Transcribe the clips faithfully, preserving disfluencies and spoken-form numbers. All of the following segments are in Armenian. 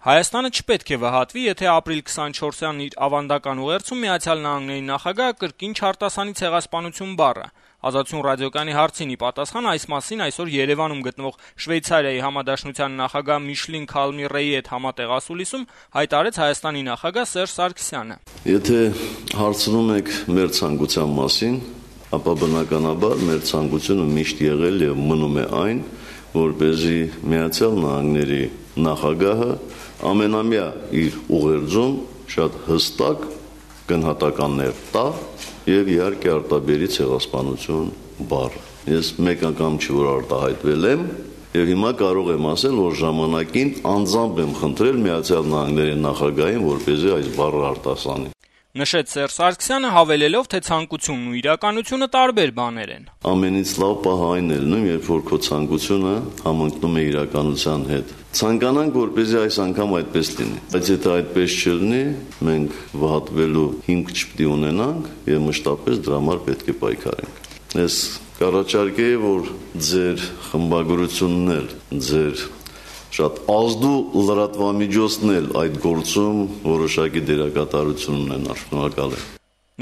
Հայաստանը չպետք է վհատվի, եթե ապրիլ քսանչորսյան իր ավանդական ուղերձում Միացյալ Նահանգների նախագահը կրկին չարտասանի ցեղասպանություն բառը։ Ազատություն ռադիոկայանի հարցին ի պատասխան այս մասին այսօր Երևանում գտնվող Շվեյցարիայի համադաշնության նախագահ Միշլին Քալմիրեի հետ համատեղ ասուլիսում հայտարարեց Հայաստանի նախագահ Սերժ Սարգսյանը. Եթե հարցնում եք մեր ցանկության մասին, ապա բնականաբար մեր ցանկությունը միշտ եղել եւ մնում է այն, որպեսզի Միացյալ Նահանգների նախագահը ամենամյա իր ուղերձում շատ հստակ գնահատականներ տա եւ իհարկե արտաբերի ցեղասպանություն բառը։ Ես մեկ անգամ չի որ արտահայտվել եմ եւ հիմա կարող եմ ասել, որ ժամանակին անձամբ եմ խնդրել Միացյալ Նահանգների նախագահին, որպեսզի այս բառը արտասանի։ Նշեց Սերժ Սարգսյանը, հավելելով, թե ցանկությունն ու իրականությունը տարբեր բաներ են։ Ամենից լավ պահը այն է լինում, երբ որ քո ցանկությունը համընկնում է իրականության հետ։ Ցանկանանք, որպեսզի այս անգամ այդպես լինի։ Բայց եթե այդպես չլինի, մենք վհատվելու հիմք չպետք է ունենանք եւ մշտապես դրա համար պետք է պայքարենք։ Ես կառաջարկեի, որ ձեր խմբագրությունն էլ, ձեր շատ ազդու լրատվամիջոցն էլ այդ գործում որոշակի դերակատարություն ունենան։ Շնորհակալ եմ։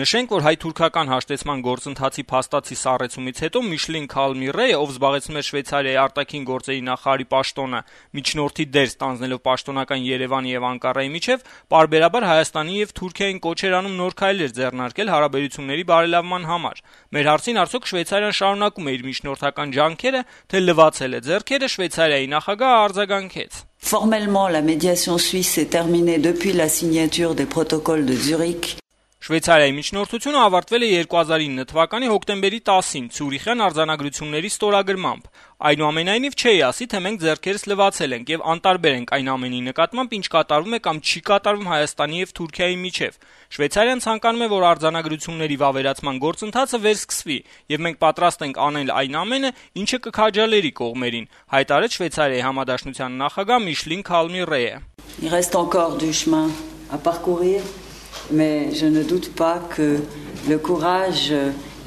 Նշենք, որ հայ-թուրքական հաշտեցման գործընթացի փաստացի սառեցումից հետո Միշլին Քալմիրեյը, ով զբաղեցնում էր Շվեյցարիայի արտաքին գործերի նախարարի պաշտոնը, միջնորդի դեր ստանձնելով պաշտոնական Երևանի եւ Անկարայի միջև, պարբերաբար Հայաստանի եւ Թուրքիային կոչ էր անում նոր քայլեր ձեռնարկել հարաբերությունների բարելավման համար։ Մեր հարցին արդյոք Շվեյցարիան շարունակում է իր միջնորդական ջանքերը, թե լվացել է ձեռքերը, Շվեյցարիայի նախագահը արձագանքեց. Formellement, la médiation suisse est terminée depuis la signature des protocoles de Zurich. Շվեյցարիայի միջնորդությունը ավարտվել է երկու հազար ինը թվականի հոկտեմբերի տասին Ցյուրիխյան արձանագրությունների ստորագրմամբ։ Այնուամենայնիվ չէի ասի, թե մենք ձեռքերս լվացել ենք եւ անտարբեր ենք այն ամենի նկատմամբ, ինչ կատարվում է կամ չի կատարվում Հայաստանի եւ Թուրքիայի միջև։ Շվեյցարիան ցանկանում է, որ արձանագրությունների վավերացման գործընթացը վերսկսվի, եւ մենք պատրաստ ենք անել այն ամենը, ինչը կքաջալերի կողմերին, հայտարարեց Շվեյցարիայի համադաշնության նախագահ Միշլին Քալմիրեյը։ Il reste encore du chemin à parcourir. Mais je ne doute pas que le courage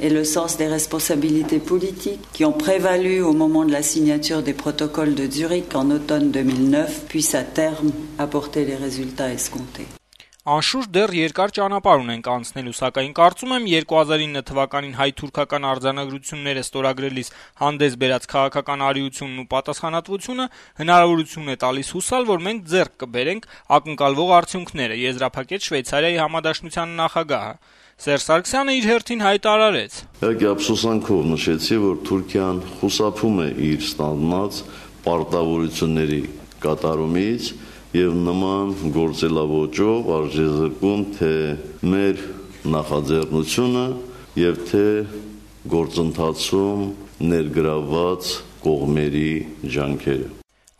et le sens des responsabilités politiques qui ont prévalu au moment de la signature des protocoles de Zurich en automne deux mille neuf puissent à terme apporter les résultats escomptés. Անշուշտ դեռ երկար ճանապարհ ունենք անցնելու, սակայն կարծում եմ երկու հազար ինը թվականին հայ-թուրքական արձանագրությունները ստորագրելիս հանդես բերած քաղաքական արիությունն ու պատասխանատվությունը հնարավորություն է տալիս հուսալ, որ մենք ձեռք կբերենք ակնկալվող արդյունքները, եզրափակեց Շվեյցարիայի համադաշնության նախագահը։ Սերժ Սարգսյանը իր հերթին հայտարարեց. Իհարկե ափսոսանքով նշեցի, որ Թուրքիան խուսափում է իր ստանձնած պարտավորությունների կատարումից եւ նման գործելավոճով արժեզրկում թե մեր նախաձեռնությունը եւ թե գործընթացում ներգրավված կողմերի ջանքերը։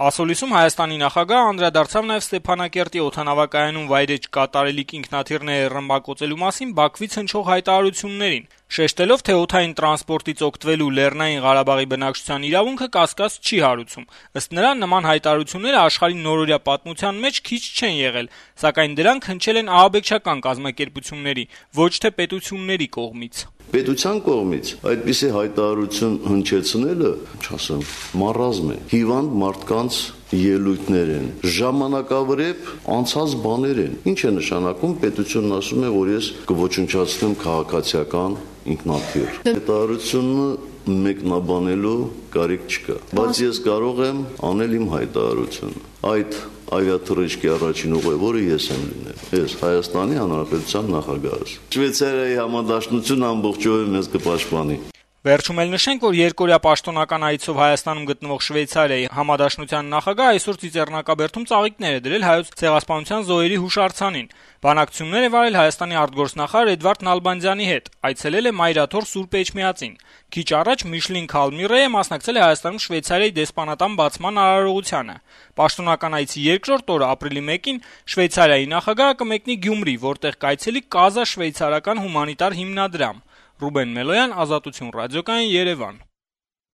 Ասուլիսում Հայաստանի նախագահը անդրադարձավ նաեւ Ստեփանակերտի օդանավակայանում վայրեջք կատարելիք ինքնաթիռները ռմբակոծելու մասին Բաքվից հնչող հայտարարություններին, շեշտելով, թե օդային տրանսպորտից օգտվելու Լեռնային Ղարաբաղի բնակչության իրավունքը կասկած չի հարուցում։ Ըստ նրա, նման հայտարարությունները աշխարհի նորօրյա պատմության մեջ քիչ չեն եղել, սակայն դրանք հնչել են ահաբեկչական կազմակերպությունների, ոչ թե պետությունների կողմից։ Պետության կողմից այդպիսի հայտարարություն հնչեցնելը, չասեմ, մարազմ է, հիվանդ մարդկանց ելույթներ են, ժամանակավրեպ անցած բաներ են։ Ինչ է նշանակում, պետությունն ասում է, որ ես կոչնչացնեմ քաղաքացիական ինքնաթիռ։ Հայտարարությունը մեկնաբանելու կարիք չկա, բայց ես կարող եմ անել իմ հայտարարությունը։ Այդ ավիաթռիչքի առաջին ուղևորը ես եմ լինել։ Ես Հայաստանի Հանրապետության նախագահը։ Շվեյցարիայի համադաշնությունը ամբողջովին մեզ կպաշտպանի։ Վերջում էլ նշենք, որ երկօրյա պաշտոնական այցով Հայաստանում գտնվող Շվեյցարիայի համադաշնության նախագահը այսօր Ծիծեռնակաբերդում ծաղիկներ է դրել հայոց ցեղասպանության զոհերի հուշարձանին։ Բանակցություններ է վարել Հայաստանի արտգործնախարար Էդվարդ Նալբանդյանի հետ, այցելել է Մայրաթոր Սուրբ Էջմիածին։ Քիչ առաջ Միշլին Քալմիրեյը մասնակցել է Հայաստանում Շվեյցարիայի դեսպանատան բացման արարողությանը։ Պաշտոնական այցի երկրորդ օրը ապրիլի մեկին Շվեյցարիայի նախագահը կմեկնի Գյումրի, որտեղ կայցելի Կազա շվեյցարական հումանիտար հիմնադրամ։ Ռուբեն Մելոյան, Ազատություն ռադիոկայան, Երևան։